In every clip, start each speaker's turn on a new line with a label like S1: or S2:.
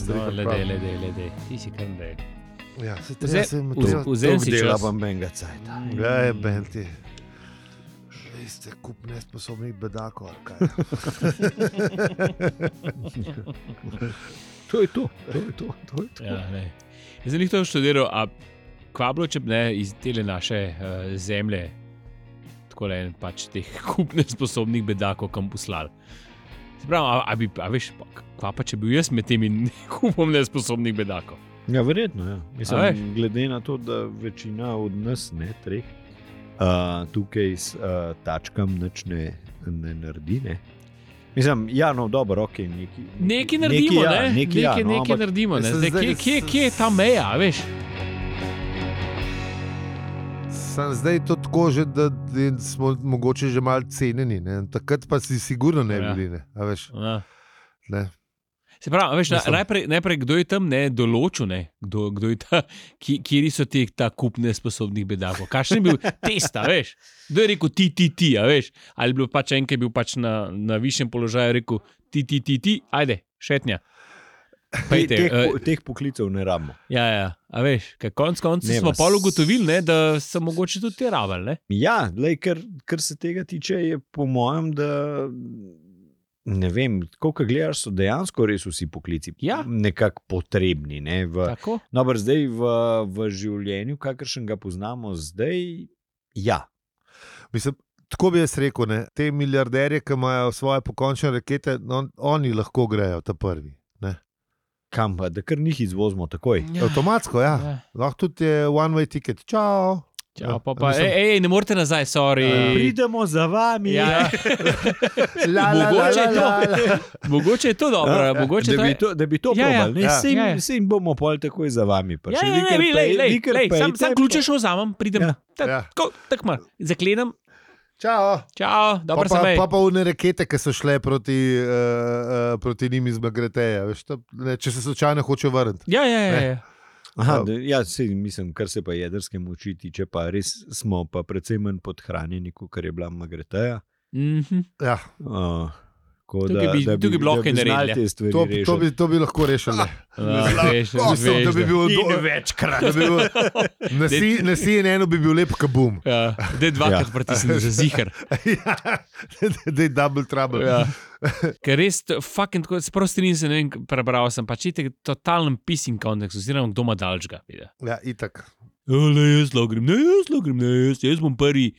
S1: Lede. Ti si kar ne.
S2: Ja, se treba
S1: Vzem si
S3: dela
S1: čas.
S3: vam benga cajta.
S2: Gaj, Benti. Vi ste kup nesposobnih bedakov, ali kaj?
S3: To je to.
S1: Ja, ne. Jaz sem jih to študiral, a kva bilo, če bi ne iz tele naše zemlje tako le pač teh kup nesposobnih bedakov kam poslali. Se pravi, a veš, kva pa če bil jaz med temi kupom nesposobnih bedakov?
S3: Ja, verjetno, ja.
S1: A
S3: Mislim,
S1: veš?
S3: glede na to, da večina od nas, ne, treh, tukaj s tačkam nič ne naredi, ne. Mislim, ja, no, dobro, ok,
S1: Nekaj naredimo, ne? Nekaj
S3: ampak
S1: naredimo, ne?
S2: Mislim,
S1: Zdaj,
S2: zdaj-
S1: kje je ta meja, a veš?
S2: Sam zdaj to tako že, da smo mogoče že malo cenjeni, ne? Takrat pa si sigurno ne
S1: Ja.
S2: bili, ne? A veš,
S1: Ja.
S2: ne?
S1: Se pravi, veš,
S2: Mislim-
S1: najprej kdo je tam določil, ne? Kdo je ta, kje so ta kup nesposobnih bedakov? Kakšen je bil test, a veš? Kdo je rekel ti, a veš? Ali je bil pač en, ki je bil pač na višjem položaju, rekel ti, ajde, šetnja. Pejte,
S3: Teh poklicev ne rabimo.
S1: ja, a veš, konc
S3: Ne,
S1: smo
S3: vas-
S1: pa ugotovili, ne, da so mogoče tudi te rabili, ne?
S3: Ja, lej, kar se tega tiče, je po mojem, da ne vem, koliko gledaš, so dejansko res vsi poklici
S1: Ja.
S3: nekako potrebni. Ne,
S1: Tako?
S3: Dobro, zdaj v življenju, kakršen ga poznamo zdaj, ja.
S2: Mislim, tako bi jaz rekel, ne? Te milijarderje, ki imajo svoje pokončne rakete, no, oni lahko grejo ta prvi. Ne?
S3: Kam pa, da kar njih izvozimo takoj.
S2: Avtomatsko, ja. Lahko tudi je one-way ticket. Čau.
S1: Čau,
S2: Ja,
S1: pa,
S2: mislim-
S1: ne morete nazaj, sorry.
S3: Pridemo za vami.
S1: Ja.
S2: Mogoče
S1: je to. Mogoče je to dobro, mogoče
S3: Da bi to
S1: Ja, ja.
S3: probali.
S2: Ja.
S1: Ja.
S3: Se jim bomo pol takoj za vami.
S1: Ja, sam ključe šel vzamem, pridem.
S3: Ja.
S2: Ja.
S1: Tako malo, zaklenem.
S2: Čau.
S1: Čau, dobro se mej.
S2: Pa une rakete, ki so šle proti njim iz Magreteja. Veš, če se slučajno hoče vrniti.
S1: Ja.
S3: Aha, mislim, kar se pa jedrske moči tiče, pa res smo pa precej manj podhranjeni, kot je bila Magreteja.
S2: Ja,
S1: Tukaj bi lahko kaj naredili,
S3: te stvari
S2: to bi lahko rešili. Mislim, da bi bil
S3: večkrat.
S2: da bi bil, na CNN bi bil lep kabum.
S1: Ja, dej dvakrat pritisni za zihar.
S2: Da je double trouble.
S1: Ja. Ker res, fucking, sprostrin se, ne vem, prebral sem, pa čitek totalen pissing kontekst, oziroma kdo ima dalčga.
S2: Ja, itak.
S1: Ne, jaz logrem, jaz bom prvi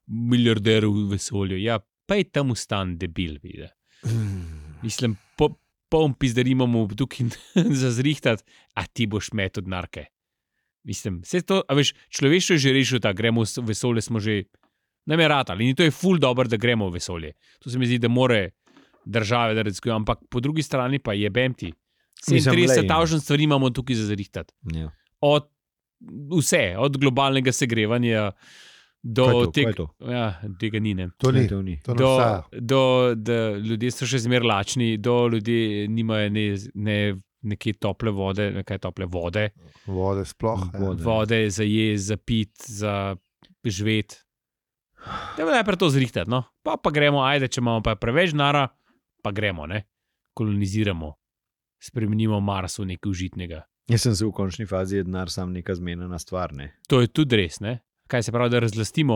S1: milijarder v vesolju. Ja, pa je tam ustan debil, vidi. Mislim, poln pizdar imamo tukaj za zrihtati, a ti boš met od narke. Mislim, vse to, a veš, človeštvo je že rešil, da gremo v vesolje, smo že nameratali. In to je ful dobro, da gremo v vesolje. To se mi zdi, da more države, da razkujo, ampak po drugi strani pa jebem ti. 37 stvari imamo tukaj za zrihtati.
S3: Ja.
S1: Od vse, od globalnega segrevanja do tega ni, ne.
S2: To ni.
S3: To ni.
S2: To ne obstaja.
S1: Da ljudje so še zmer lačni, do ljudi nimajo neke tople vode,
S2: Vode sploh.
S1: vode za jesti, za pit, za živeti. Da bi najprej to zrihtati, no. Pa gremo, ajde, če imamo pa preveč nara, pa gremo, ne. Koloniziramo, spremenimo Mars v nekaj užitnega.
S3: Jaz sem se v končni fazi je denar sam neka zmenjena stvar, ne.
S1: To je tudi res, ne. Kaj se pravi, da razlastimo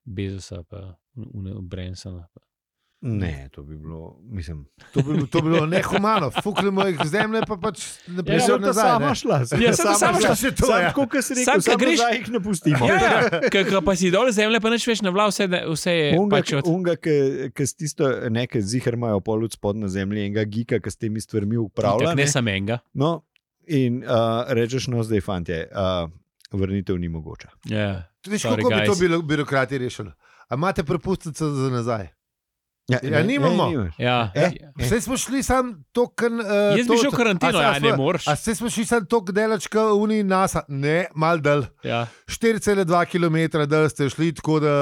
S1: Bezosa pa Bransona?
S3: Ne, to bi bilo, mislim.
S2: To bi bilo nehumano. Fuknemo jih zemlje, pa pač ne prišel nazaj.
S3: Sama šla.
S1: Ja, sama šla.
S2: Še to, ja.
S3: Tako, kot si
S1: Sam,
S3: rekel,
S1: ko
S3: samo
S1: greš-
S3: nazaj jih ne pustimo.
S1: Ja, ker pa si dol zemlje, pa neč več navla, vse je pač od...
S3: Unga, ki s tisto nekaj zihar imajo pol od spod na zemlji, enega gika, ki s temi stvarmi upravlja.
S1: Ne sam enega.
S3: No, in rečeš, no zdaj, fantje, vrnitev ni mogoča.
S1: Ja.
S2: Veš,
S1: Sorry,
S2: kako bi to
S1: guys.
S2: birokrati rešili? A imate prepustnico za nazaj?
S3: Ja,
S2: nimamo.
S1: Ja.
S2: Vse smo šli sam token...
S1: Jaz bi šel v karanteno, ja, ne moreš.
S2: A vse smo šli sam tok delačka uni NASA? Ne, mal dal.
S1: Ja.
S2: 4,2 km dal ste šli, tako da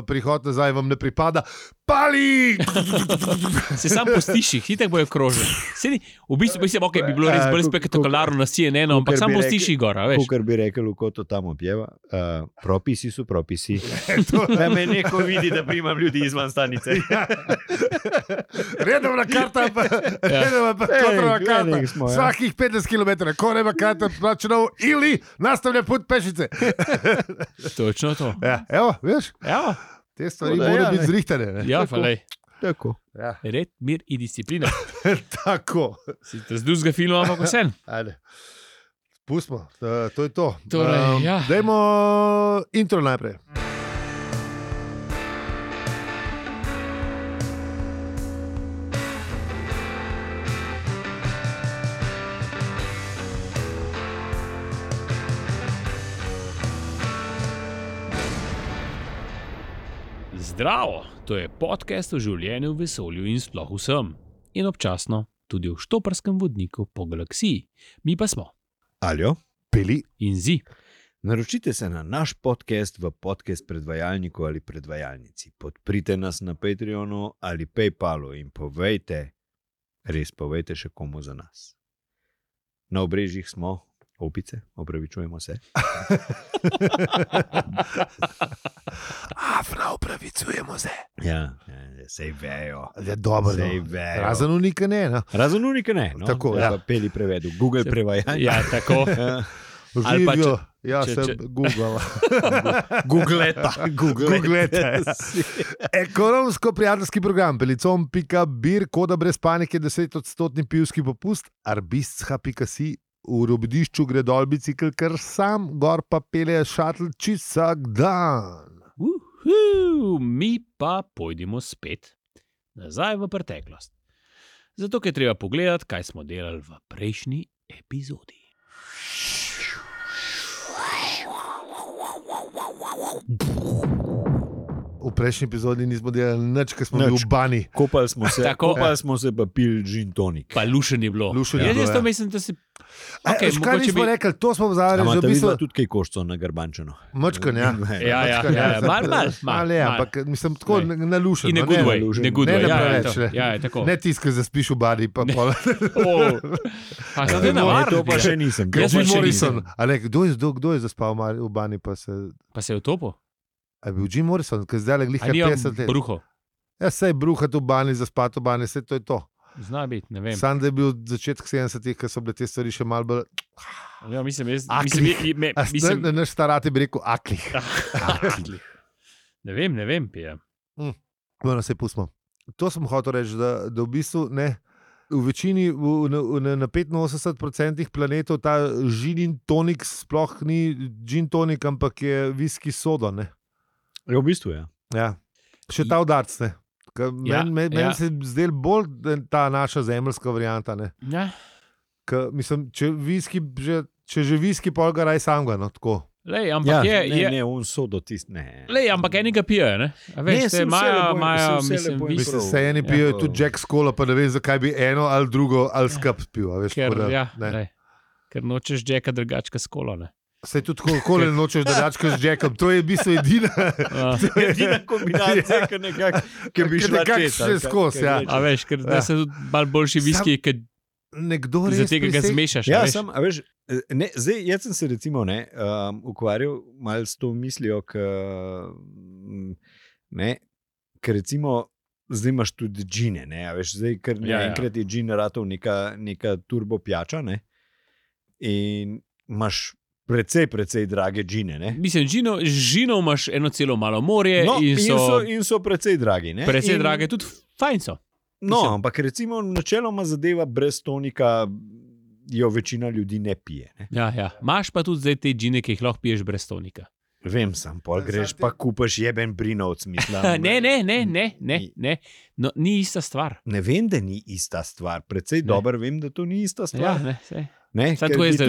S2: prihod nazaj vam ne pripada. pali!
S1: Se sam postiš, jih tako bojo krožili. V bistvu mislim, okay, bi bilo res bolj spektakularno na CNN, ampak sam postiš jih gor, veš.
S3: Kar bi rekel, ko to tam objeva, propisi so propisi. Da me neko vidi, da primam ljudi izvan stanice.
S2: Redovna karta, redovna kontrolna karta. Svakih 15 km, ko nema karta plačeno ili nastavlja put pešice.
S1: Točno to.
S2: Ja, evo, veš?
S1: Evo.
S2: Te stvari morajo biti zrihtane. Ne?
S1: Ja, falej.
S3: Tako.
S2: Ja.
S1: Red, mir in disciplina.
S2: Tako.
S1: Si te z drugega filma, ampak vsem.
S2: Ajde. Pustimo, to je to.
S1: Torej, ja.
S2: Dajmo intro najprej.
S1: Zdravo, to je podcast o življenju v vesolju in sploh vsem. In občasno tudi v štoparskem vodniku po galaksiji. Mi pa smo
S3: Aljo,
S2: Peli
S1: in Zi.
S3: naročite se na naš podcast v podcast predvajalniku ali predvajalnici. Podprite nas na Patreonu ali PayPalu in povejte, res povejte še komu za nas. Na obrežjih smo opice, opravičujemo se.
S2: Afra, opravičujemo se.
S3: Ja, sej vejo.
S2: Je dobro.
S3: Sej vejo.
S2: Razen unika ne. No?
S3: Razen unika ne. No?
S2: Tako,
S3: ja.
S2: ja.
S3: Peli prevedu, Google prevajanje.
S1: Ja, tako. Ali pa
S2: Živijo.
S1: če-
S2: Ja,
S1: če-
S2: se Google.
S3: Googleta.
S2: Googleta, ja. Ekonomsko-prijateljski program pelicom.bir, koda brez panike, 10% pivski popust, arbistha.si, v robodišču gre dol bicikl, ker sam, gor pa pelje šatl čist vsak dan.
S1: Mi pa pojdimo spet nazaj v preteklost. Zato, ker je treba pogledati, kaj smo delali v prejšnji epizodi.
S2: V prejšnji epizodi nismo delali nič, ker smo bili
S3: Nič.
S2: v bani.
S3: Kopali smo se pa pil gin tonik.
S1: Pa lušen je bilo.
S2: Lušen je bilo,
S1: Jaz to
S2: ja.
S1: mislim, da si...
S2: Okay, kaj
S1: mogoče
S2: nismo rekli, to smo vzali, že
S3: Amate
S2: v bistvu
S3: tudi kaj koščo na garbančeno.
S2: mačkan, ja.
S1: Ja, mal.
S2: Ja, ampak mislim tako
S1: Ne.
S2: nalušen.
S1: In ne
S2: no,
S1: good way,
S3: lušen.
S1: ne good
S2: Ne,
S1: way.
S2: ne
S1: Ja, je
S2: preveč,
S1: to.
S2: ne.
S1: Ja, je tako.
S2: Ne tiskaj, zaspiš v bani, pa pol.
S1: A se te navadi?
S3: To pa še nisem.
S1: Jaz pa
S2: Jim
S1: še
S2: Morrison. A ne, kdo je zaspal v bani, pa se...
S1: Pa se je utopil?
S2: A je bil Jim Morrison, ki zdaj le glih
S1: A ni on
S2: 50 let.
S1: bruho?
S2: Ja, sej bruhati v bani, zaspati v bani, vse to je to.
S1: Zna biti, ne vem.
S2: Sam da je bil začetek 70-ih, ko so bile te stvari še malo bolj...
S1: Ja, mislim,
S2: Aklih.
S1: mislim,
S2: Naš starati bi rekel aklih.
S1: ne vem, pija.
S2: Bueno, se pustimo. To sem hotel reči, da v bistvu ne. V večini, na 85% planetov ta gin in tonik sploh ni gin tonik, ampak je viski soda. Ne?
S3: V bistvu je.
S2: Ja. Še ta udarc.
S1: Ja,
S2: Meni
S1: ja.
S2: se je zdel bolj ta naša zemeljska varianta. Ne?
S1: Ja.
S2: Mislim, če že viski, pol ga raj sam ga. No, tako.
S1: Lej, ampak
S3: ne, on sodo tist, ne.
S1: Lej, ampak enega pijejo, ne? A veš,
S3: Ne,
S1: te
S3: saj vse lepo in-
S1: imajo,
S3: saj vse
S1: mislim,
S3: lepo in
S2: Mislim,
S3: prav.
S2: se eni pijejo tudi Jack Skola, pa ne vem, zakaj bi eno ali drugo ali skup pil. a Veš,
S1: ker,
S2: tako da,
S1: ja,
S2: ne.
S1: lej, ker nočeš Jacka drugačka s kolo, ne?
S2: Saj tudi kako ne nočeš drugačka z Jackom, to je v bistvu edina.
S3: Edina kombinacija, ki bi šla
S2: nekako
S3: čez.
S2: šle skozi, ja.
S1: A veš, ker da se tudi malo boljši viski, ker
S2: Nekdo
S1: za
S2: res
S1: tega ga zmešaš,
S3: Ja,
S1: a veš.
S3: a veš, ne, zdaj, jaz sem se recimo ukvarjal malo s to mislijo, ker recimo zdaj imaš tudi džine, ne, a veš, zdaj ker
S1: Ja, ja.
S3: enkrat je džin ratov neka turbo pijača, ne, in imaš precej drage džine, ne.
S1: Mislim, žinov imaš eno celo malo morje
S3: No,
S1: in
S3: so precej dragi, ne.
S1: precej
S3: In-
S1: drage, tudi fajn so.
S3: No,
S1: Mislim-
S3: ampak recimo načeloma zadeva brez tonika jo večina ljudi ne pije. Ne?
S1: Ja. Imaš pa tudi zdaj te džine, ki jih lahko piješ brez tonika.
S3: Vem, sam pol greš pa kupaš jeben brinovc, mislim.
S1: Ne. No, ni ista stvar.
S3: Ne vem, da ni ista stvar. Precej dobro vem, da to ni ista
S1: Ja,
S3: stvar.
S1: ne, sej.
S3: Ne,
S1: Samo
S3: ker
S1: tako je
S3: bi
S1: zdaj-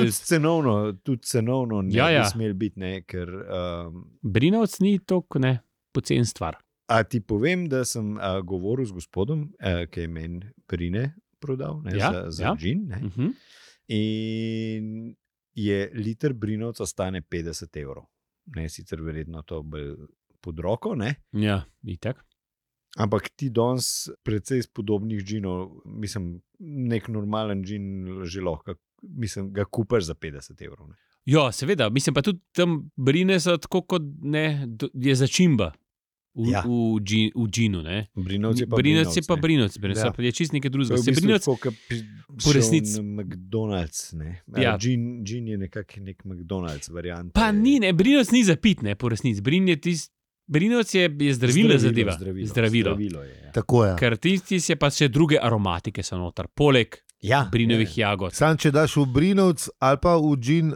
S3: tudi cenovno ne
S1: Ja, ja.
S3: bi smel biti, ne, ker
S1: Brinovc ni toliko ne pocen stvar.
S3: a ti povem, da sem govoril z gospodom, ki je meni brine prodal, ne,
S1: Ja,
S3: za
S1: ja.
S3: džin, ne, in je liter brinovca stane 50 evrov. Ne, sicer verjetno to bolj pod roko, ne.
S1: Ja, itak.
S3: Ampak ti danes precej spodobnih džinov, mislim, nek normalen džin že lahko, mislim, ga kupaš za 50 evrov. Ne?
S1: Ja, seveda, mislim pa tudi tam brine so tako kot ne, je začimba v džinu.
S3: Brinovci pa
S1: brinovci,
S2: Ja.
S1: je čist nekaj drugega.
S3: To je v bistvu
S1: Brinovci,
S3: tako,
S1: po resnici-
S3: McDonald's, ne.
S1: Ja.
S3: Džin je nekak nek McDonald's variant.
S1: pa ni, ne, brinovc ni za pit, ne, po resnici. Brinovc je zdravilo zadeva. Zdravilo.
S3: Je, ja.
S2: Tako je.
S1: Ker tisti je pa še druge aromatike so noter, poleg
S3: Ja,
S1: brinovih jagod.
S2: Sam, če daš v brinovc ali pa v džin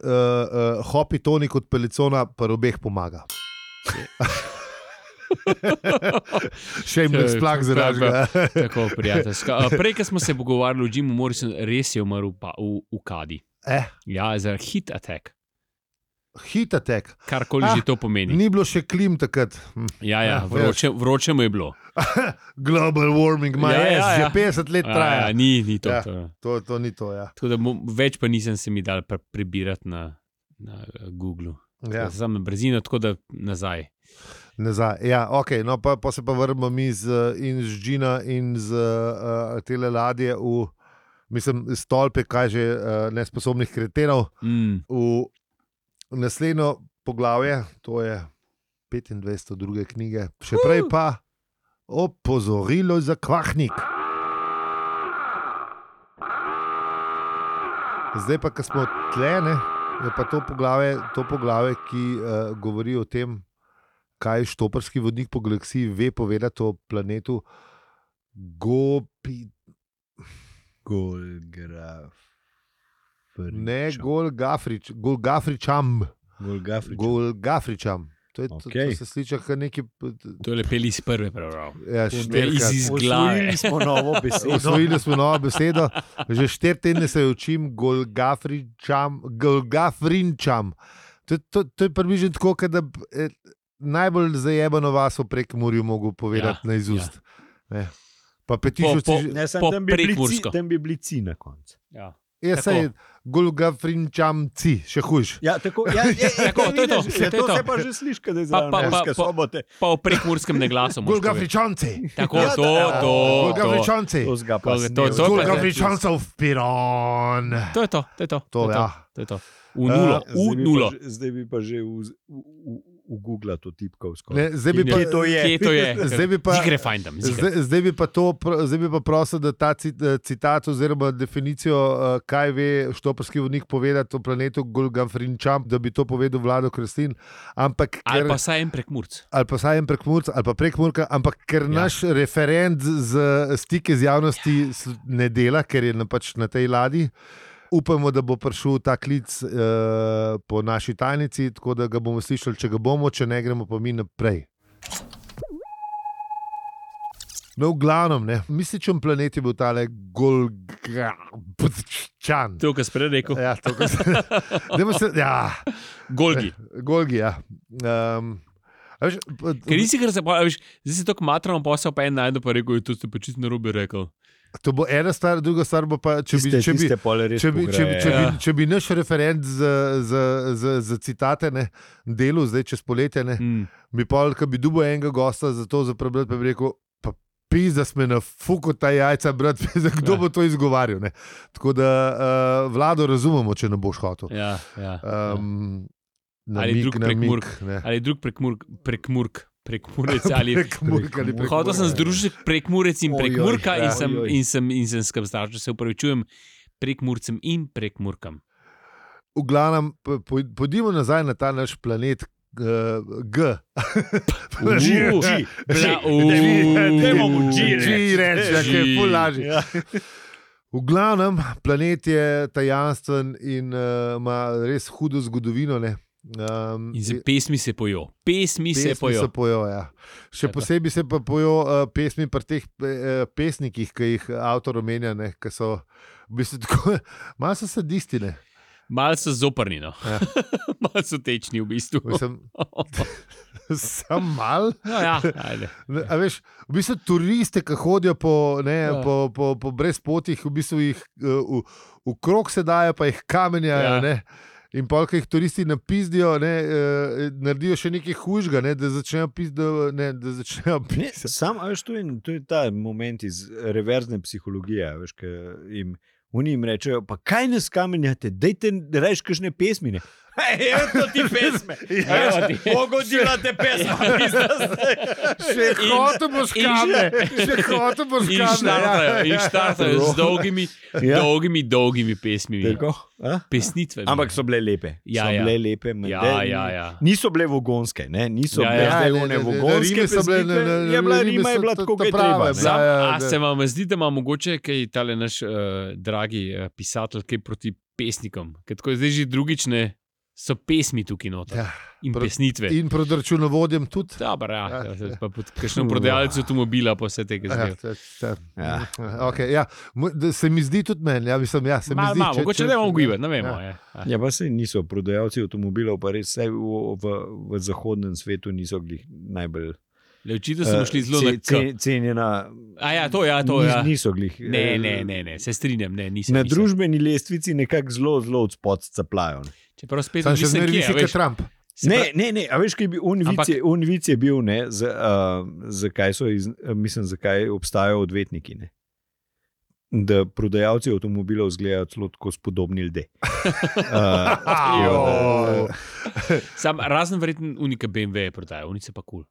S2: hopi tonik od pelicona, pa obeh pomaga. Še jim
S1: Saj,
S2: splak
S1: to je
S2: zražga.
S1: Tako, prijateljska. Prej, ko smo se pogovarjali o Jimu Morrisonu, res je umrl v Kadi. Ja, za hit attack.
S2: Hit attack.
S1: Karkoli že to pomeni.
S2: Ni bilo še klim takrat.
S1: Ja, vroče mu je bilo.
S2: Global warming, že 50 let traja.
S1: Ni to.
S2: Ja.
S1: To.
S2: To ni to, ja.
S1: Tako da več pa nisem se mi dal prebirati na Googlu.
S2: Ja.
S1: Sam na brzino, tako da nazaj.
S2: Nazaj. Ja, okay. No, pa se pa vrnemo mi in z džina in z tele ladje v, mislim, stolpe, kaj že nesposobnih kretenov. V naslednjo poglavje, to je 25. druge knjige, še prej pa opozorilo za kvahnik. Zdaj pa, ko smo tlene, je pa to poglavje, ki govori o tem, kaj štoparski vodnik po galaksiji ve povedati o planetu Golgafričam. To se sliši kot neki.
S1: To je lepeli iz prve prebral.
S2: Ja,
S1: iz glave.
S3: Osvojili
S2: smo novo besedo. Že 4 tedne se učim Golgafrinčam. To je približno tako, da najbolj zajebano vas v Prekmurju mogo povedati na izust. Ja. Pa petišovci...
S3: Tam bi bili ci na koncu.
S1: Ja.
S2: Jaz se Golgafrinčamci, še hujš.
S3: Ja, tako, to je to. To se pa že sliši, da je za sobote.
S1: Pa v prekmurskem neglasu.
S2: Golgafričanci.
S1: Tako, to.
S2: Golgafričanci. Golgafričancov v Piron.
S1: To je to.
S2: To
S1: je to. V nulo.
S3: Zdaj bi pa že v Google to tipkal
S2: skoraj. Kje
S1: to je?
S2: Zdaj bi pa prosil, da ta citat oziroma definicijo, kaj ve štoparski vodnik povedati o planetu Golgafrinčam, da bi to povedal Vlado Kreslin.
S1: Ali pa saj en Prekmurc.
S2: Ali pa Prekmurka, ampak ker naš referent z stike z javnosti ne dela, ker je pač na tej ladji, upamo, da bo prišel ta klic po naši tajnici, tako da ga bomo slišali, če ga bomo, če ne gremo pa mi naprej. No, v glavnem, misličen planet je bil tale Golgafrinčan.
S1: To, kar si prej rekel.
S2: Ja, to, kar si... Golgi, ja.
S1: Ker nisi kar zdaj si tako matrano posel, pa en najdo pa rekel, to ste pa čisto narobe rekel.
S2: To bo ena stvar, druga stvar bo pa, če bi naš referent za citate delal zdaj čez poletje, bi pa, ko bi dubo enega gosta za to zaprebrati, pa bi rekel, pa pizda sme na fuku ta jajca, brat, pizda, kdo bo to izgovarjal. Tako da Vlado razumemo, če ne boš hotel.
S1: Ja.
S2: Ali
S1: drug prekmurec ali hotel sem združiti prekmurec in prekmurka in sem skrbstal, če se upravičujem prekmurcem in prekmurkam.
S2: V glavnem, pojdimo nazaj na ta naš planet G. V glavnem, planet je tajanstven in ima res hudo zgodovino,
S1: in z pesmi se pojo. Pesmi se
S2: pojo, ja. Še posebej se pa pojo pesmi pri teh pesnikih, ki jih avtor omenja, ki so v bistvu tako, malo so sadisti,
S1: malo so zoprni, ja. Malo so tečni v bistvu.
S2: Sam mal.
S1: Ja, ajde.
S2: A veš, v bistvu turiste, ki hodijo po brezpotih, v bistvu jih v krog se dajo, pa jih kamenjajo, In pol, ki jih turisti napizdijo, naredijo še nekaj hujšega, da začnejo pisati.
S3: Sam, veš, to je ta moment iz reverzne psihologije, veš, ki jim rečejo, pa kaj ne skamenjate, dajte rajš kakšne pesmi. Evo to ti pesme. Pogodila te pesme.
S2: Še hotel boš kame.
S1: In štartajo z dolgimi pesmimi. Pesnitve.
S3: Ampak so bile lepe. Bile lepe.
S1: Ja.
S3: Niso bile vogonske. Niso bile vogonske pesmitve. Rima je bila tako, kot je treba.
S1: A se vam zdi, da ima mogoče kaj tale naš dragi pisatelj kaj proti pesnikom? Ker tako zdaj že drugič ne so pesmi tukaj noter. In pesnitve.
S2: In pred računovodjem tudi.
S1: Dobar, pa pod kakšno prodajalec avtomobila pa vse tega zdaj.
S2: Se mi zdi tudi meni.
S1: Mogoče ne bomo ugibati, ne vemo.
S3: Ja, pa se niso prodajalci avtomobilov, pa res v zahodnem svetu niso glih najbolj
S1: Očitno smo šli zelo
S3: cenjena.
S1: To.
S3: Niso glih.
S1: Ne, se strinjam. Nisem.
S3: Na družbeni lestvici nekako zelo od spod caplajo.
S1: Čeprav spet
S2: še zmeraj visi kot Trump.
S3: Ne, a veš, kaj bi unvic je bil, zakaj obstajajo odvetniki, ne? Da prodajalci avtomobilov izgledajo celo tako spodobni ljudje.
S1: Razen verjetno unika BMW je prodajal, unice pa kul.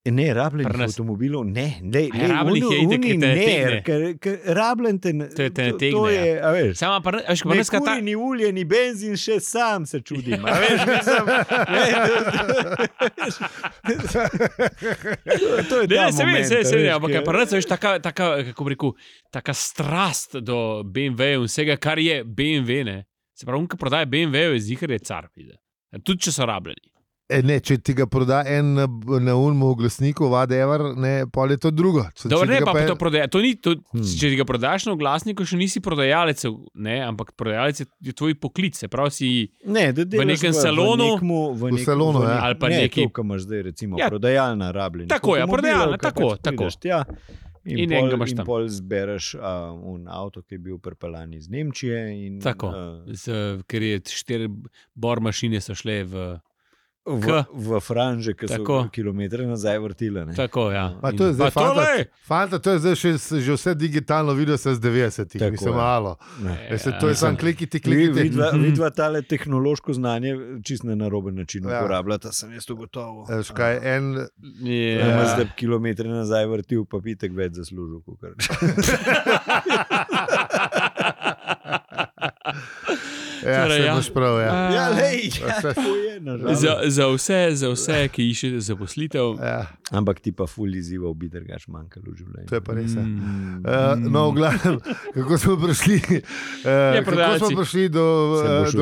S3: Ne, rabljenih avtomobilov, ne.
S1: Rabljenih je itek, ki te nategne.
S3: Ker rabljen te nategne. To je, a veš.
S1: Ne
S3: kuri, ni ulje, ni benzin, še sam se čudim. A veš, to je ta moment.
S1: Ampak prvenc, veš, taka, kako bi rekel, taka strast do BMW-ja in vsega, kar je BMW, ne. Se pravi, ki prodaja BMW-ju, je zihar je car. Tudi, če so rabljeni.
S2: Če ti ga proda en na unmu oglasniku, whatever, pol je to drugo.
S1: Če ti ga prodaš na oglasniku, še nisi prodajalec, ampak prodajalec je tvoj poklic. Se pravi, si v nekem salonu.
S2: V salonu,
S1: ali pa neki.
S3: To, kar imaš zdaj, recimo, prodajalna rabljenja.
S1: Tako je, prodajalna, tako.
S3: In pol zbereš avto, ki je bil pripeljan iz Nemčije.
S1: Tako, ker je 4 bor mašine so šle
S3: v franže, ki so kilometre nazaj vrtile.
S1: Tako, ja.
S2: To je zdaj, fanta, to je zdaj že vse digitalno video se z 90-ih, mislim malo. To je sam klikiti.
S3: Vidva tale tehnološko znanje čist na naroben način uporabljata, sem jaz to gotovo.
S2: Škaj,
S3: zdaj kilometre nazaj vrtil, pa pitek več zaslužil.
S1: Za vse, ki iščejo zaposlitev.
S3: Ampak ti pa ful izzival bi drugač manjkalo v življenju.
S2: To je pa res. No, v glavnem, kako smo prišli do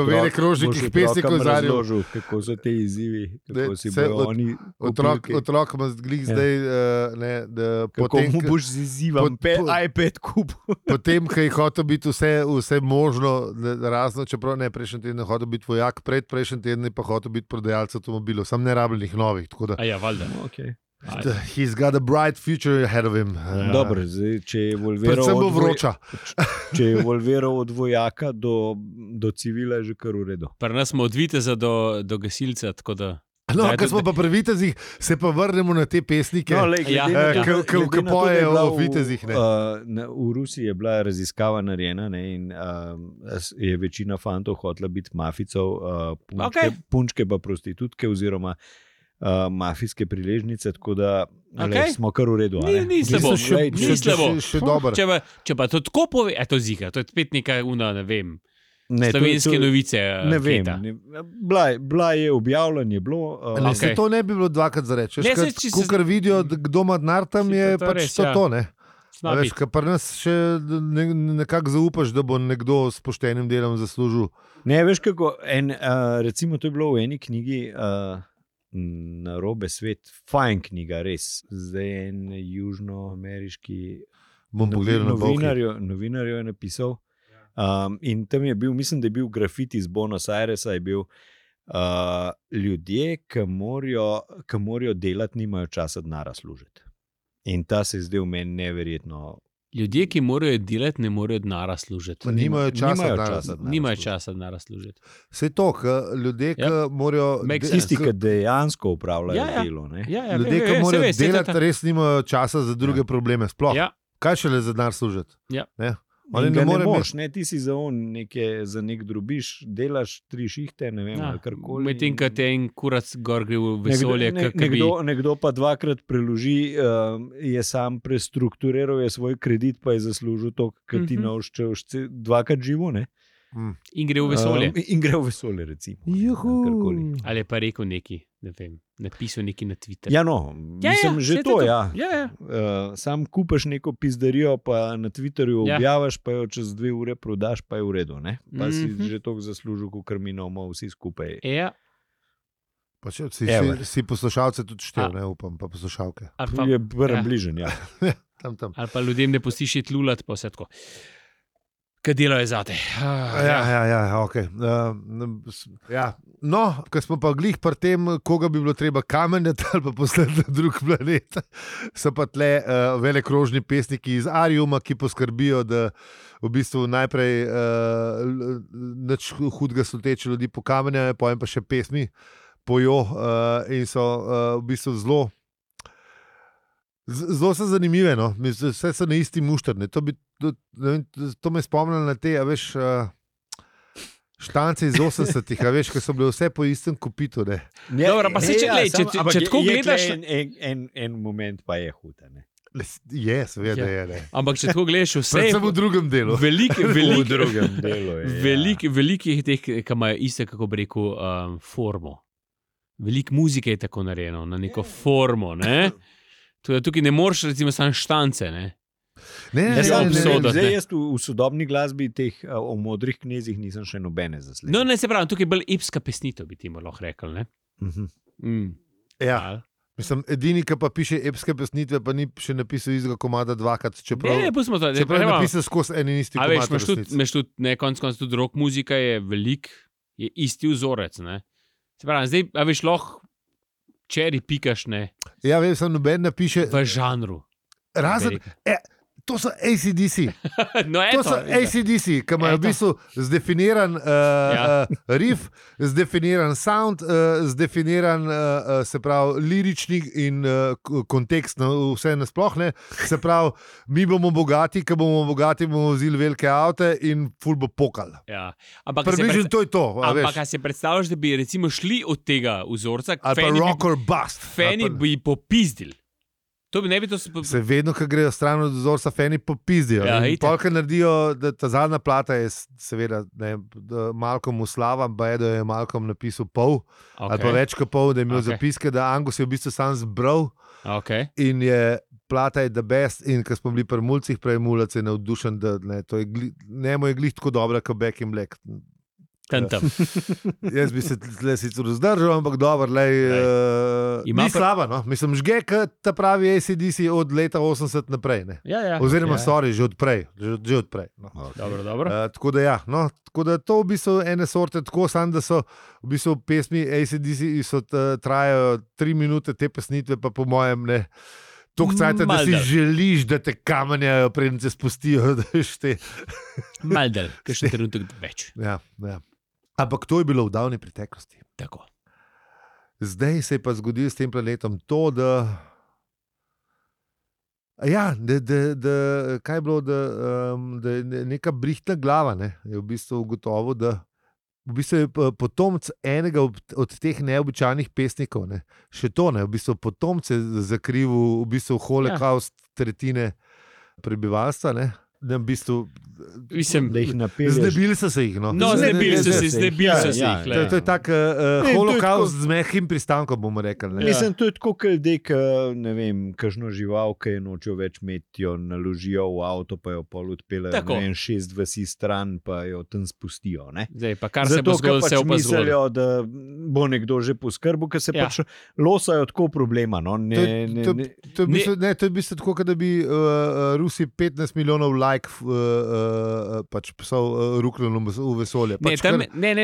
S2: Vere Krožnikih pesnikov
S3: razložil, kako so te izzivi, kako si bojo oni
S2: otrok ima zdaj
S3: kako mu boš z izzivom iPad kup.
S2: Potem, ko je hotel biti vse možno razno, čeprav ne prejšnji teden hotel biti vojak, predprejšnji teden pa hotel biti prodajalec avtomobilov, sam ne rabljenih novih.
S1: Valjda.
S2: He's got a bright future ahead of him.
S3: Dobro, zdaj, če je evolviral od vojaka do civila, je že kar v redu.
S1: Pri nas smo od viteza do gasilca, tako da...
S2: No, ko smo pa pri vitezih, se pa vrnemo na te pesnike, ki pojejo o vitezih.
S3: V Rusiji je bila raziskava narejena in je večina fantov hotela biti mafijcev, punčke pa prostitutke oziroma mafijske priležnice, tako da smo kar v redu.
S1: Ni slabo.
S2: Še dobro.
S1: Če pa to tako pove, to zika, to je spet nekaj ne vem. Slovenske novice.
S3: Ne vem. Bila je objavljena, je bilo.
S2: Se to ne bi bilo dvakrat za reči. Kukar vidijo, kdo ima denar tam, je pač to, ne? Veš, kar pri nas še nekako zaupaš, da bo nekdo s poštenim delom zaslužil.
S3: Ne, veš kako, recimo to je bilo v eni knjigi Narobe svet, fajn knjiga, res. Zdaj en južnoameriški novinar je napisal. In tam je bil, mislim, da je bil grafiti iz Buenos Airesa, je bil ljudje, ki morajo delati, nimajo časa denarja služiti. In ta se je zdel meni neverjetno
S1: Ljudje, ki morajo delati, ne morejo denarja služiti.
S2: Nimajo
S1: Nimajo časa denarja služiti.
S2: Vse to, ljudje, ki morajo.
S3: Tisti, ki dejansko upravljajo delo.
S2: Ljudje, ki morajo delati, res nimajo časa za druge probleme. Sploh.
S1: Ja.
S2: Kaj šele za denar služiti?
S1: Ja.
S3: Ali ne moreš, ti si za nek drobiž, delaš 3 šihte, ne vem, ali karkoli.
S1: Medtem, ko te en kurac gor gre v vesolje.
S3: Nekdo pa 2-krat preloži, je sam prestrukturiral svoj kredit, pa je zaslužil to, kar ti naučil 2-krat živo, ne?
S1: In gre v vesolje.
S3: In gre v vesolje, recimo.
S1: Ali pa rekel neki, ne vem, napisal neki na Twitter.
S3: Ja, no, mislim, že to, ja. Sam kupaš neko pizdarijo, pa na Twitterju objaviš, pa jo čez 2 ure prodaš, pa je v redu, ne? Pa si že toliko zaslužil, kot mi imamo vsi skupaj.
S1: Ja.
S2: Pa si poslušalce tudi štel, ne upam, pa poslušalke.
S3: Je bližen, ja.
S2: Tam.
S1: Ali pa ljudem ne pustiš iti lulat, pa vse tako. Kaj delo je zate?
S2: Ja, ok. No, ko smo pa glih pri tem, koga bi bilo treba kamenjati ali pa poslati na drug planet, so pa tle velekrožni pesniki iz Ariuma, ki poskrbijo, da v bistvu najprej nič hudega sluteče ljudi pokamenjajo, potem pa še pesmi pojo in so v bistvu zelo so zanimive, no? Vse so na isti mušter. To me spomnilo na te, veš, štance iz 80-ih, veš, ko so bile vse po istem kopitu.
S1: Dobro, pa se če tako gledaš...
S3: En moment pa je huda, ne?
S2: Je, seveda je, ne.
S1: Ampak če tako gledaš vse...
S2: Predvsem v drugem delu.
S1: V drugem delu, velikih teh, ki imajo iste, kako bi rekel, formo. Veliko muzike je tako narejeno, na neko formo, ne? Tukaj ne moreš, recimo, samo štance.
S3: Zdaj jaz v sodobni glasbi teh o modrih knezih nisem še nobene zasledil.
S1: No, ne se pravi, tukaj je bolj epska pesnitev, bi ti lahko rekel.
S2: Ja, mislim, edini, ki pa piše epske pesnitve, pa ni še napisal izga komada 2-krat. Čeprav je napisal skozi en in isti komad.
S1: Veš, konec koncev tudi rock muzika je velik, je isti vzorec. Ne? Se pravi, zdaj, veš, lahko čeri pikaš, ne?
S2: Ja, vem, sem noben napiše...
S1: V žanru.
S2: Razen... To so AC/DC. To so AC/DC, ki imajo v bistvu zdefiniran riff, zdefiniran sound, zdefiniran se pravi lirični in kontekst, vse nasploh ne. Se pravi, mi bomo bogati, bomo vzeli velike avte in ful bo pokal.
S1: Ja.
S2: Približno to je to.
S1: Ampak kaj si predstavljaš, da bi recimo šli od tega vzorca,
S2: ali pa rock or bust.
S1: Fani bi popizdili.
S2: Se vedno, ko grejo stran od vzorca, fani popizdijo. Polka naredijo, da ta zadnja plata je seveda Malcolm Slava, da je Malcolm napisal pol, ali pa več kot pol, da je imel zapiske, da Angus je v bistvu sam zbral in je plata je the best in ko smo bili pri mulcih, prej mulac je navdušen, da njemu je glih tako dobra, kot Back in Black. Jaz bi se tle sicer vzdržal, ampak dobro, ni slaba, no? Mislim, žge, ta pravi AC/DC od leta 80 naprej, ne? Oziroma, sorry, že odprej. No.
S1: Dobro.
S2: Tako da ja, no, tako da to v bistvu ene sorte, tako sam, da so v bistvu pesmi AC/DC trajajo 3 minute, te pesnitve pa po mojem ne toliko cajta, da si želiš, da te kamenjajo, preden se spustijo, da te...
S1: Maldel, kakšen trenutek več.
S2: Ja. Ampak to je bilo v davni preteklosti.
S1: Tako.
S2: Zdaj se je pa zgodilo s tem planetom to, da kaj je bilo, da je neka brihtna glava, ne, je v bistvu ugotovil, da v bistvu je potomc enega od teh neobičajnih pesnikov, ne, še to, ne, v bistvu potomc je zakrivil v bistvu holokaust tretjine prebivalstva, ne. Da v bistvu
S3: da jih napelješ.
S2: Znebili so se jih.
S1: Znebili so se jih.
S2: To je tak holokaust z mehkim pristankom, bomo rekli.
S3: Mislim, to je tako, kot ne vem, kakšno žival, ki je nočejo več imeti, jo naložijo v avto, pa jo pol odpeljejo, ne vem, 6 vasi stran, pa jo tam spustijo.
S1: Zdaj, pa kar se bo zgodilo, se bo zgodilo.
S3: Mislijo, da bo nekdo že poskrbil, ker se pač losajo tako problema. To
S2: je v bistvu tako, da bi Rusi 15 milijonov pač psov ruknilo v vesolje.
S1: Ne.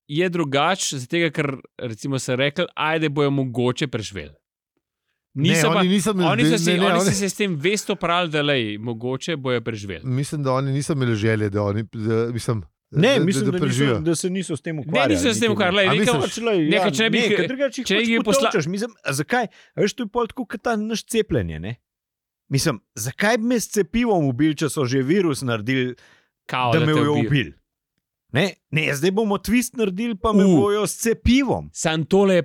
S1: Je drugače, zato ker recimo se rekli, ajde bojo mogoče preživeli.
S2: Oni so
S1: se s tem vesto pravili, da mogoče bojo preživeli.
S2: Mislim, da oni niso imeli želje, da
S3: mislim, da se niso s tem ukvarjali.
S1: Ne, niso se s tem ukvarjali. Če jih
S3: poslaš, zakaj? Veš, to je pol tako, kot ta naš cepljenje, ne? Mislim, zakaj bi me s cepivom ubili, če so že virus naredili, da me bojo ubili? Ne, zdaj bomo twist naredili, pa me bojo s cepivom.
S1: Sam to je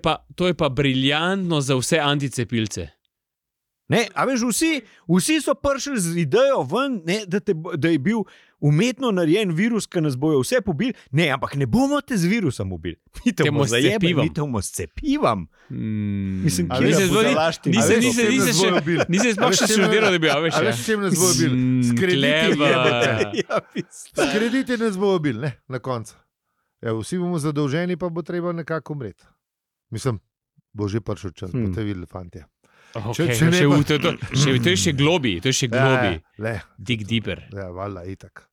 S1: pa briljantno za vse anticepilce.
S3: Ne, a veš, vsi so prišli z idejo ven, ne, da je bil umetno narejen virus, ki nas bojo vse pobili. Ne, ampak ne bomo te z virusom ubili. Mi te bomo zajebali, mi te bomo s cepivom. Mislim, kje se zalašti?
S1: Nisem sploh še študiral, da bi
S2: veš. A veš, čem nas bojo ubili? S krediti nas bojo ubili, ne, na koncu. Vsi bomo zadolženi, pa bo treba nekako umreti. Mislim, bo že prišel čas, boste videli, fantje.
S1: Okay, to je še globi, dig deeper.
S2: Ja, valjda, itak.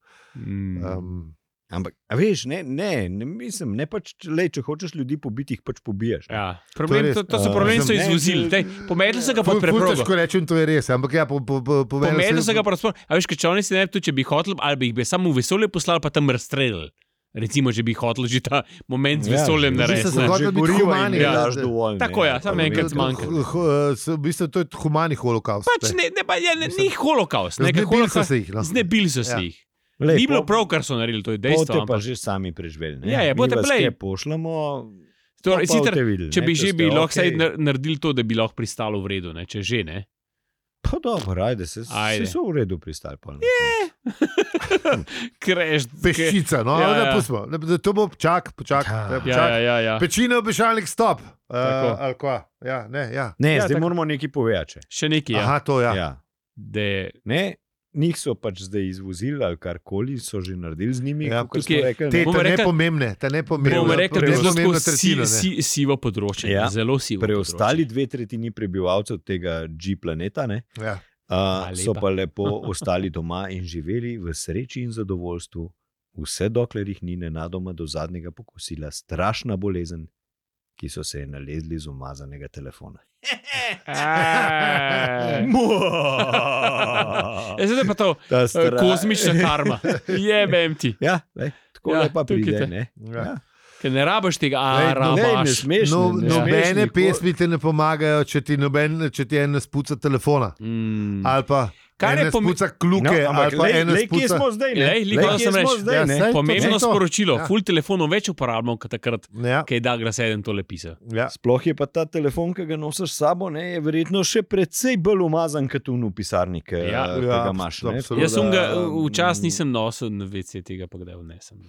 S3: Ampak, a veš, ne mislim, ne pač, če hočeš ljudi pobiti, jih pač pobiješ.
S1: Ja, to so problemi, so izvozili. Pomedli so ga pod preprogo.
S2: Težko rečem, to je res, ampak ja,
S1: pomedli so ga pod preprogo. A veš, če oni si ne bi, če bi hotel, ali bi jih bi samo v vesolje poslali, pa tam razstrelili. Recimo, če bi hotel že ta moment z vesoljem narediti.
S2: Se hotel biti humani.
S1: Tako je, samo enkrat zmanjka.
S2: V bistvu to je humani holokaust.
S1: Pač ni holokaust. Znebili so se jih. Ni bilo prav, kar so naredili, to je dejstvo.
S3: Bote pa že sami preživeli.
S1: Bote play.
S3: Pošljamo,
S1: če bi že bi lahko naredili to, da bi lahko pristalo v redu, če že ne.
S3: Pa dobro, ajde, se so v redu pristali.
S2: Peščica, no, da pustimo. To bo počak. Pečine obešalnik, stop.
S3: Ne, zdaj moramo nekaj povedati.
S1: Še nekaj,
S2: Aha, to, ja.
S3: Njih so pač zdaj izvozili ali karkoli, so že naredili z njimi.
S2: Te nepomembne.
S1: Bomo rekli, da je zelo sivo področje. Zelo sivo.
S3: Preostali 2/3 prebivalcev tega G-planeta so pa lepo ostali doma in živeli v sreči in zadovoljstvu, vse dokler jih ni nenadoma do zadnjega pokosila strašna bolezen, ki so se nalezli z umazanega telefona.
S1: Zdaj pa to kozmična karma. Jebem ti.
S3: Ja, tako lepa pride, ne?
S1: Ker ne rabaš tega, rabaš.
S2: Nobene pesmi te ne pomagajo, če ti en spuca telefona. Ali pa ena spuca kluke, ali pa ena spuca...
S1: Pomembno sporočilo. Ful telefonov več uporabljamo, kot takrat, kaj Douglas Eden tole pisal.
S3: Sploh je pa ta telefon, ki ga nosiš s sabo, je verjetno še precej bolj umazan, kot v pisarni, ki ga imaš.
S1: Jaz sem ga včasih nisem nosil na WC, tega pa kdaj vnesem.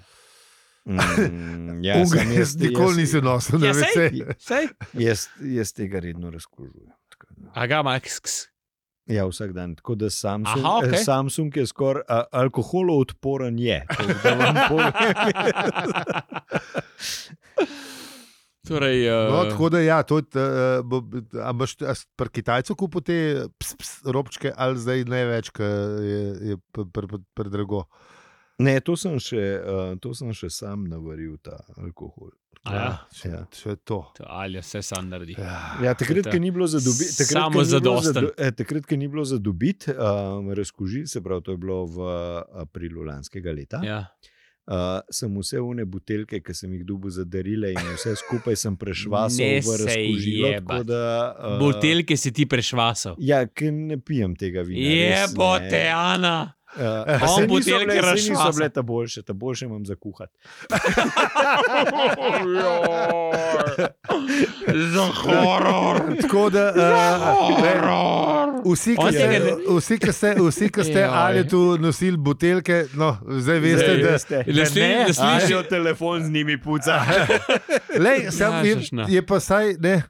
S2: Jaz nikoli nisem nosil na WC.
S3: Jaz tega redno razkrožujem.
S1: Aga, Max.
S3: Ja, vsak dan. Tako da Samsung je skoraj alkoholoodporen je.
S2: Tako da ja, a imaš pri Kitajcu kupil te robčke ali zdaj največ, ker je predrago?
S3: Ne, to sem še sam navaril, ta alkohol.
S2: Še to.
S1: Ali vse sam naredi.
S3: Ja, takrat, ki ni bilo za dobiti.
S1: Samo zadosten.
S3: Takrat, ki ni bilo za dobiti, razkuži, se pravi, to je bilo v aprilu lanskega leta.
S1: Ja.
S3: Sem vse une buteljke, ki sem jih dobil za darile in vse skupaj sem prešvasal v razkužilo.
S1: Buteljke si ti prešvasal?
S3: Ja, ker ne pijem tega vina.
S1: Jebote, Ana!
S3: Se niso bile ta boljše imam za kuhati.
S1: Za horor.
S2: Tako da vsi, ki ste ali tu nosili buteljke, no, zdaj veste,
S1: da
S3: slišijo telefon z njimi puca.
S2: Je pa saj, ne.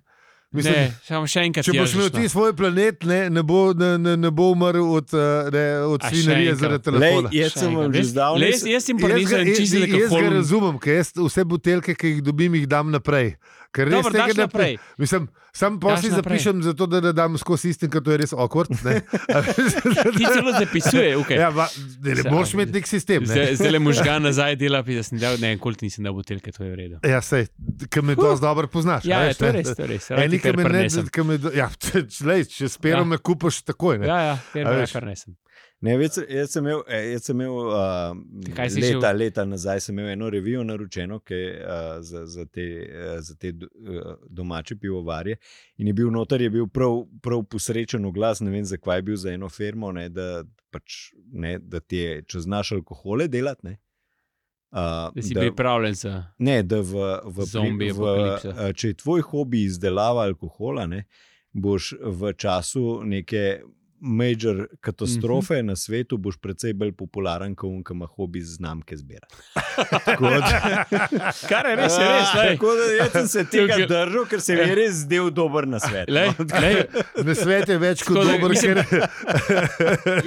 S1: Mislim, še enkrat,
S2: če boš imel ti svoj planet, ne bo umrl od svinarije zaradi telefona.
S3: Jaz sem vam že zdavnaj.
S1: Jaz sem pa nisem čisto nekako.
S2: Jaz ga razumem, ker jaz vse buteljke, ki jih dobim, jih dam naprej. Ker res
S1: Dobro,
S2: tega
S1: daš
S2: ne
S1: naprej.
S2: Mislim, sam posli
S1: Daš naprej.
S2: zapišem, zato da ne dam skozi istin, ker to je res awkward. Ne?
S1: Ti celo zapisuje, okay.
S2: Ja, ne moraš imeti nek sistem. Ne?
S1: Zdaj le možgan nazaj dela, da sem dal, ne, koliko nisem dal buteljke, to je v redu.
S2: Ja, sej, ki me dosti dobro poznaš.
S1: Ja,
S2: veš,
S1: to je
S2: ne?
S1: res, to je res.
S2: Eni, ki me ne,
S1: prenesem.
S2: če s perom me kupaš takoj. Ne?
S1: Ja,
S2: A veš?
S1: prenesem.
S3: Ne, jaz sem imel
S1: Kaj si
S3: leta nazaj sem imel eno revijo naročeno za te domače pivovarje in je bil noter, je bil prav posrečen oglas, ne vem zakaj je bil za eno firmo, ne, da ti je, če znaš alkohole delati, ne.
S1: Da si pripravljen za
S3: Ne, da
S1: zombije apokalipso.
S3: če je tvoj hobi izdelava alkohola, ne, boš v času neke major katastrofe na svetu, boš precej bolj popularen, kot on, ki ima hobi znamke zbirati.
S1: Kar je res, je res.
S3: Tako da jaz sem se tega držal, ker se mi je res zdel dober nasvet.
S2: Nasvet je več kot
S1: Skozi-
S2: dober,
S1: mislim-
S2: ker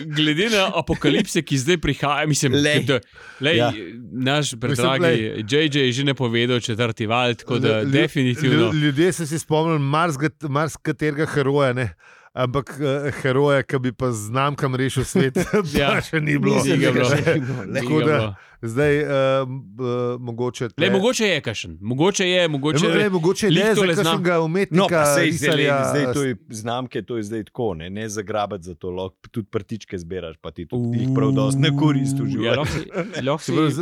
S1: Glede na apokalipse, ki zdaj prihaja, mislim,
S3: Lej.
S1: da
S3: Ja.
S1: naš predragi JJ je že napovedal četrti val, tako da definitivno.
S2: Ljudje so si spomnili marskaterega heroja, ne? Ampak heroja, ki bi pa znamkam rešil svet,
S1: Ja.
S2: pa še ni bilo.
S1: Ni ga bilo.
S2: Tako da zdaj mogoče.
S1: Mogoče je kašen, mogoče je.
S2: Mogoče ne
S1: lih
S2: za
S1: tole zna.
S2: kakšnega
S3: No,
S2: umetnika,
S3: pa sej
S2: risarja.
S3: zdaj to je znamke, to je zdaj tako, ne zagrabati za to, lahko tudi prtičke zbiraš, pa ti tudi jih prav dosti ne koristi v
S1: Ja,
S3: življenju.
S1: lahko
S2: Se pravi,
S1: si.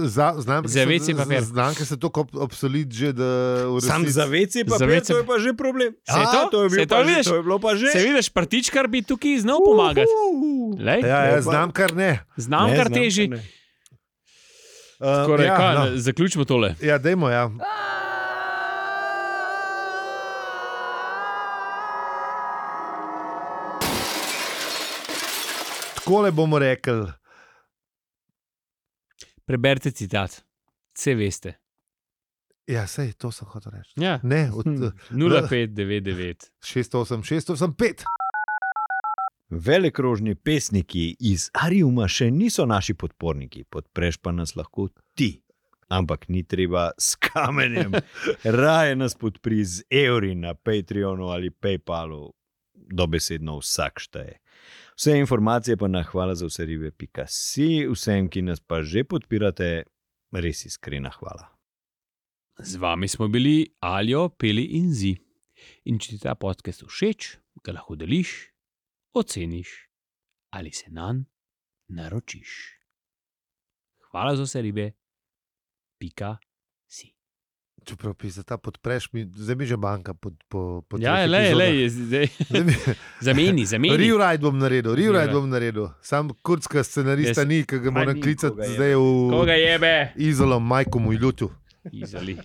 S1: Za WC papir.
S2: Znamke so tako obsolit že, da v
S3: Sam
S2: resnici-
S3: za WC
S1: Za
S3: papir,
S1: WC
S3: to je pa že problem.
S1: Se je to?
S3: To je
S1: Se
S3: bil
S1: je to,
S3: pa že,
S1: vidiš?
S3: to je bilo pa že.
S1: Se vidiš, partičkar bi tukaj znal pomagati. Lej,
S2: Ja, znam kar ne.
S1: znam kar teži. Skoraj,
S2: ja,
S1: kaj,
S2: no.
S1: zaključimo tole.
S2: Ja, dajmo, ja. Takole bomo rekli.
S1: Preberite citat. Vse veste.
S2: Ja, sej, to sem hotel reči.
S1: Ja.
S2: Ne, od
S1: 0599.
S2: 685.
S3: Velikrožni pesniki iz Ariuma še niso naši podporniki, podpreš pa nas lahko ti. Ampak ni treba s kamenjem. Raje nas podpri z evri na Patreonu ali PayPalu. Dobesedno vsak šteje. Vse informacije pa na hvala za vse ribe.si, vsem, ki nas pa že podpirate, res iskrena hvala.
S1: Z vami smo bili Aljo, Peli in Zi. In če ti ta podcast všeč, ga lahko deliš, oceniš ali se nanj naročiš. Hvala za vse ribe. .si.
S2: Čeprav pisa ta podpreš, zdaj mi že banka pod
S1: Ja,
S2: treh epizodah.
S1: zdaj.
S2: Zdaj mi-
S1: Zameni.
S2: Rewrite bom naredil. Sam kurdska scenarista ni, ki ga moram
S3: ni,
S2: klicati
S3: koga jebe.
S2: zdaj v
S1: Koga jebe?
S2: Izolo, majko mu ljutu.
S1: Izoli.